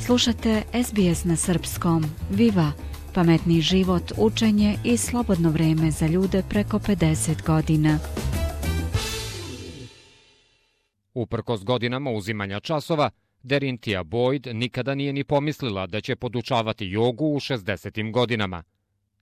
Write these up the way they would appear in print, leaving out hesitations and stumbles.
Slušate SBS na srpskom. Viva! Pametni život, učenje i slobodno vreme za ljude preko 50 godina. Uprkos godinama uzimanja časova, Derinthia Boyd nikada nije ni pomislila da će podučavati jogu u 60. godinama.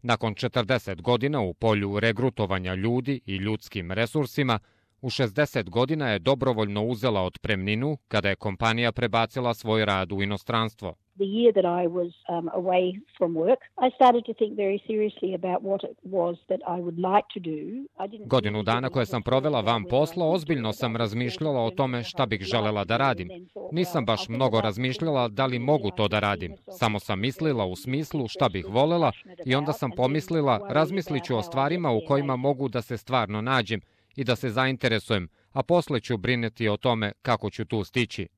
Nakon 40 godina u polju regrutovanja ljudi i ljudskim resursima, u 60 godina je dobrovoljno uzela otpremninu kada je kompanija prebacila svoj rad u inostranstvo. The year that I was away from work, I started to think very seriously about what it was that I would like to do. Godinu dana koje sam provela van posla, ozbiljno sam razmišljala o tome šta bih želela da radim. Nisam baš mnogo razmišljala da li mogu to da radim. Samo sam mislila u smislu šta bih volela i onda sam pomislila razmislit ću o stvarima u kojima mogu da se stvarno nađem i da se zainteresujem, a posle ću brinuti o tome kako ću tu stići.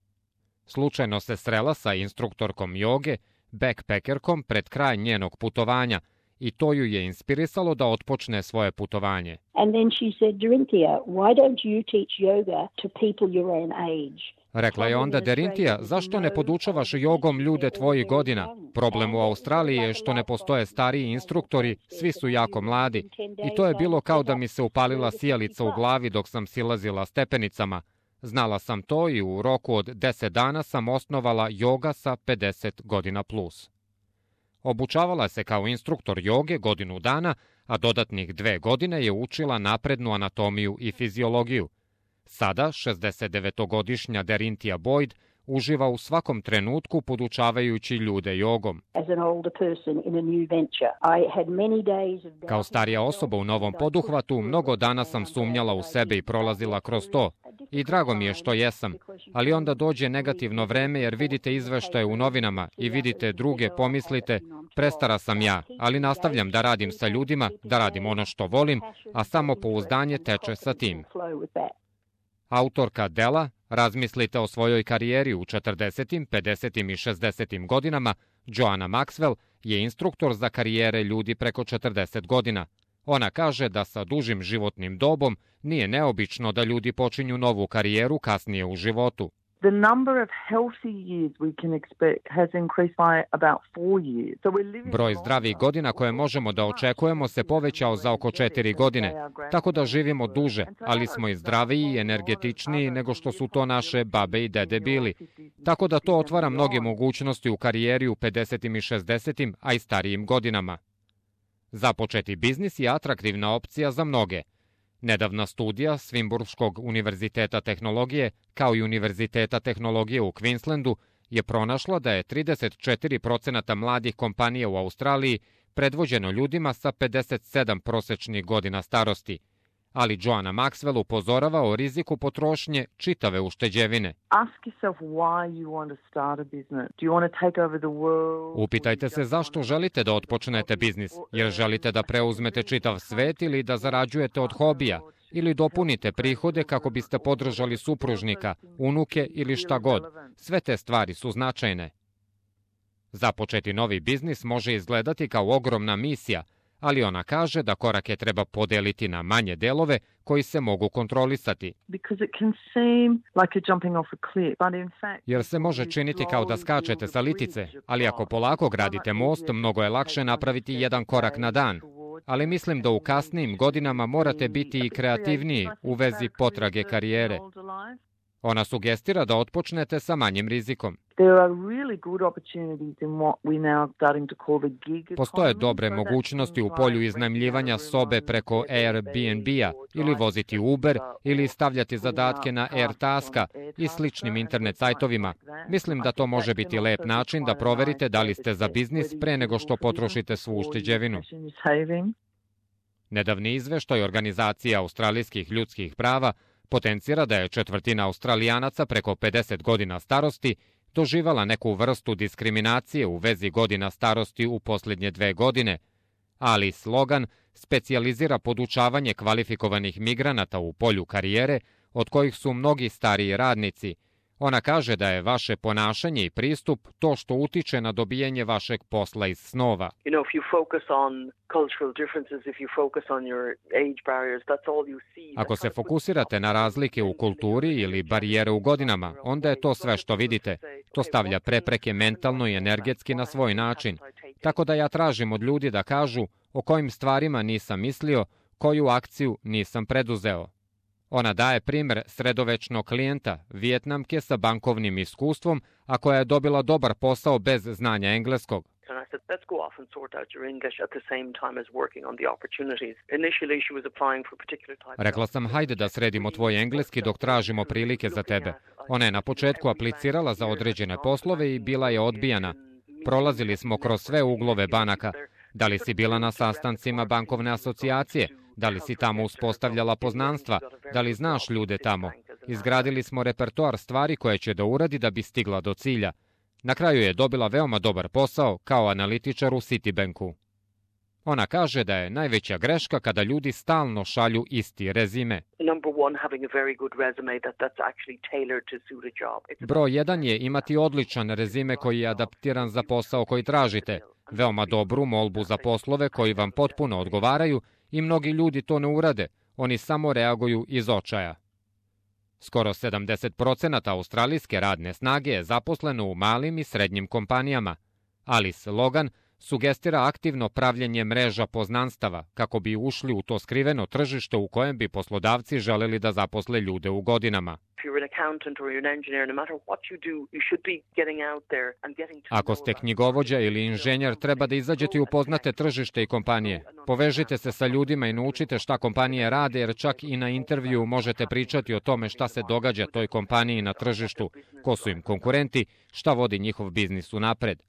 Slučajno se srela sa instruktorkom joge, backpackerkom pred kraj njenog putovanja i to ju je inspirisalo da otpočne svoje putovanje. And then she said, Derinthia, why don't you teach yoga to people your own age? Rekla je onda Derinthia, zašto ne podučavaš jogom ljude tvojih godina? Problem u Australiji je što ne postoje stariji instruktori, svi su jako mladi. I to je bilo kao da mi se upalila sijalica u glavi dok sam silazila stepenicama. Znala sam to i u roku od 10 dana sam osnovala joga sa 50 godina plus. Obučavala se kao instruktor joge godinu dana, a dodatnih 2 godine je učila naprednu anatomiju i fiziologiju. Sada, 69-godišnja Derinthia Boyd uživa u svakom trenutku podučavajući ljude jogom. Kao starija osoba u novom poduhvatu, mnogo dana sam sumnjala u sebe i prolazila kroz to. I drago mi je što jesam, ali onda dođe negativno vreme jer vidite izveštaje u novinama i vidite druge, pomislite, prestara sam ja, ali nastavljam da radim sa ljudima, da radim ono što volim, a samopouzdanje teče sa tim. Autorka dela Razmislite o svojoj karijeri u 40., 50. i 60. godinama, Joanna Maxwell, je instruktor za karijere ljudi preko 40 godina. Ona kaže da sa dužim životnim dobom nije neobično da ljudi počinju novu karijeru kasnije u životu. The number of healthy years we can expect has increased by about 4 years. Broj zdravih godina koje možemo da očekujemo se povećao za oko 4 godine, tako da živimo duže, ali smo i zdraviji i energetičniji nego što su to naše babe i dede bili. Tako da to otvara mnoge mogućnosti u karijeri u 50. i 60. a i starijim godinama. Započeti biznis je atraktivna opcija za mnoge. Nedavna studija Swinburškog univerziteta tehnologije, kao i Univerziteta tehnologije u Queenslandu, je pronašla da je 34% mladih kompanija u Australiji predvođeno ljudima sa 57 prosečnih godina starosti. Ali Joanna Maxwell upozorava o riziku potrošnje čitave ušteđevine. Upitajte se zašto želite da otpočnete biznis, jer želite da preuzmete čitav svet ili da zarađujete od hobija, ili dopunite prihode kako biste podržali supružnika, unuke ili šta god. Sve te stvari su značajne. Započeti novi biznis može izgledati kao ogromna misija, ali ona kaže da korake treba podeliti na manje delove koji se mogu kontrolisati. Jer se može činiti kao da skačete sa litice, ali ako polako gradite most, mnogo je lakše napraviti jedan korak na dan. Ali mislim da u kasnijim godinama morate biti i kreativniji u vezi potrage karijere. Ona sugestira da otpočnete sa manjim rizikom. Postoje dobre mogućnosti u polju iznajmljivanja sobe preko Airbnb-a ili voziti Uber ili stavljati zadatke na AirTaska i sličnim internet sajtovima. Mislim da to može biti lep način da proverite da li ste za biznis pre nego što potrošite svu ušteđevinu. Nedavni izveštaj Organizacije australijskih ljudskih prava potencira da je 1/4 Australijanaca preko 50 godina starosti doživala neku vrstu diskriminacije u vezi godina starosti u posljednje 2 godine, ali slogan specijalizira podučavanje kvalifikovanih migranata u polju karijere, od kojih su mnogi stariji radnici, Ona kaže da je vaše ponašanje i pristup to što utiče na dobijenje vašeg posla iz snova. Ako se fokusirate na razlike u kulturi ili barijere u godinama, onda je to sve što vidite. To stavlja prepreke mentalno i energetski na svoj način. Tako da ja tražim od ljudi da kažu o kojim stvarima nisam mislio, koju akciju nisam preduzeo. Ona daje primjer sredovečnog klijenta, Vijetnamke sa bankovnim iskustvom, a koja je dobila dobar posao bez znanja engleskog. Rekla sam, hajde da sredimo tvoj engleski dok tražimo prilike za tebe. Ona je na početku aplicirala za određene poslove i bila je odbijana. Prolazili smo kroz sve uglove banaka. Da li si bila na sastancima bankovne asocijacije? Da li si tamo uspostavljala poznanstva? Da li znaš ljude tamo? Izgradili smo repertoar stvari koje će da uradi da bi stigla do cilja. Na kraju je dobila veoma dobar posao kao analitičar u Citibanku. Ona kaže da je najveća greška kada ljudi stalno šalju isti rezime. Broj 1 je imati odličan rezime koji je adaptiran za posao koji tražite, veoma dobru molbu za poslove koji vam potpuno odgovaraju i mnogi ljudi to ne urade, oni samo reaguju iz očaja. Skoro 70% australijske radne snage je zaposleno u malim i srednjim kompanijama. Alice Logan sugestira aktivno pravljenje mreža poznanstava kako bi ušli u to skriveno tržište u kojem bi poslodavci želeli da zaposle ljude u godinama. Ako ste knjigovođa ili inženjer, treba da izađete i upoznate tržište i kompanije. Povežite se sa ljudima i naučite šta kompanije rade, jer čak i na intervju možete pričati o tome šta se događa toj kompaniji na tržištu, ko su im konkurenti, šta vodi njihov biznis unapred.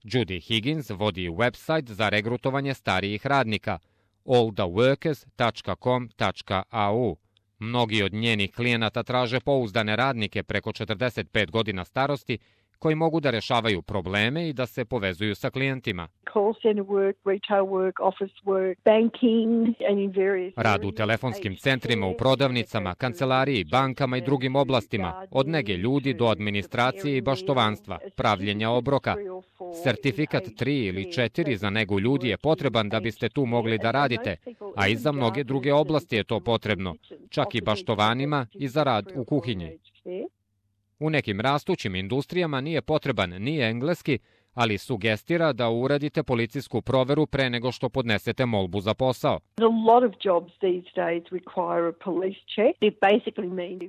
Judy Higgins vodi website za regrutovanje starijih radnika alltheworkers.com.au. Mnogi od njenih klijenata traže pouzdane radnike preko 45 godina starosti koji mogu da rešavaju probleme i da se povezuju sa klijentima. Rad u telefonskim centrima, u prodavnicama, kancelariji, bankama i drugim oblastima, od nege ljudi do administracije i baštovanstva, pravljenja obroka. Sertifikat 3 ili 4 za negu ljudi je potreban da biste tu mogli da radite, a i za mnoge druge oblasti je to potrebno, čak i baštovanima i za rad u kuhinji. U nekim rastućim industrijama nije potreban ni engleski, ali sugestira da uradite policijsku proveru pre nego što podnesete molbu za posao.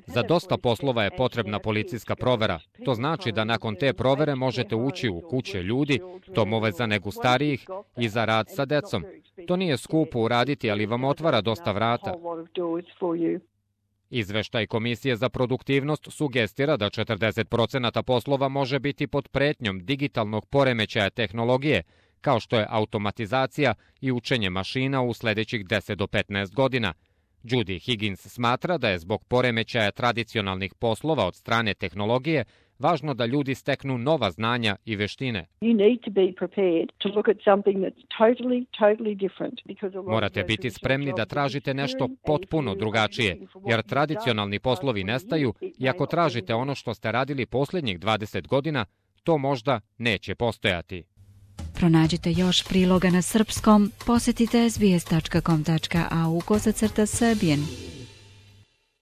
Za dosta poslova je potrebna policijska provera. To znači da nakon te provere možete ući u kuće ljudi, domove za negu starijih i za rad sa decom. To nije skupo uraditi, ali vam otvara dosta vrata. Izveštaj Komisije za produktivnost sugestira da 40% poslova može biti pod pretnjom digitalnog poremećaja tehnologije, kao što je automatizacija i učenje mašina u sledećih 10 do 15 godina. Judy Higgins smatra da je zbog poremećaja tradicionalnih poslova od strane tehnologije važno da ljudi steknu nova znanja i veštine. Morate biti spremni da tražite nešto potpuno drugačije, jer tradicionalni poslovi nestaju i ako tražite ono što ste radili posljednjih 20 godina, to možda neće postojati. Pronađite još priloga na srpskom, posjetite sbs.com.au/Serbian.